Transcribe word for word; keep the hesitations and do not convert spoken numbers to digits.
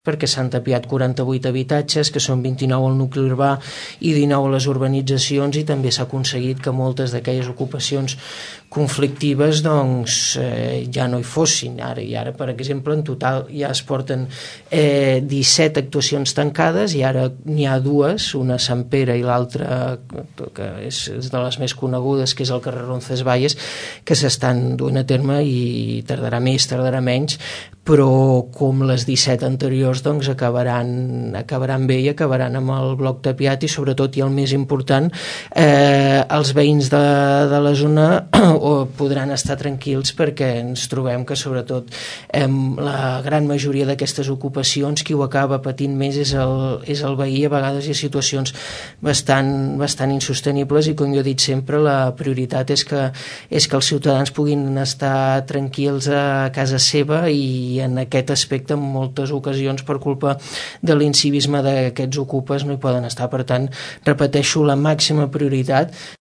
perquè s'han tapiat quaranta-vuit habitatges, que són vint-i-nou al nucli urbà i dinou a les urbanitzacions, i també s'ha aconseguit que moltes d'aquelles ocupacions conflictives doncs eh, ja no hi fossin. Ara, i ara, per exemple, en total ja es porten eh, disset actuacions tancades, i ara n'hi ha dues, una a Sant Pere i l'altra, que és, és de les més conegudes, que és el carrer Roncesvalles, que s'estan duent a terme, i tardarà més, tardarà menys, però com les disset anteriors doncs acabaran, acabaran bé i acabaran amb el bloc tapiat, i sobretot, i el més important, eh, els veïns de, de la zona o podran estar tranquils, perquè ens trobem que sobretot eh, la gran majoria d'aquestes ocupacions qui ho acaba patint més és el, és el veí. A vegades hi ha situacions bastant, bastant insostenibles, i com jo he dit sempre, la prioritat és que, és que els ciutadans puguin estar tranquils a casa seva, i en aquest aspecte en moltes ocasions per culpa de l'incivisme d'aquests ocupes no hi poden estar. Per tant, repeteixo, la màxima prioritat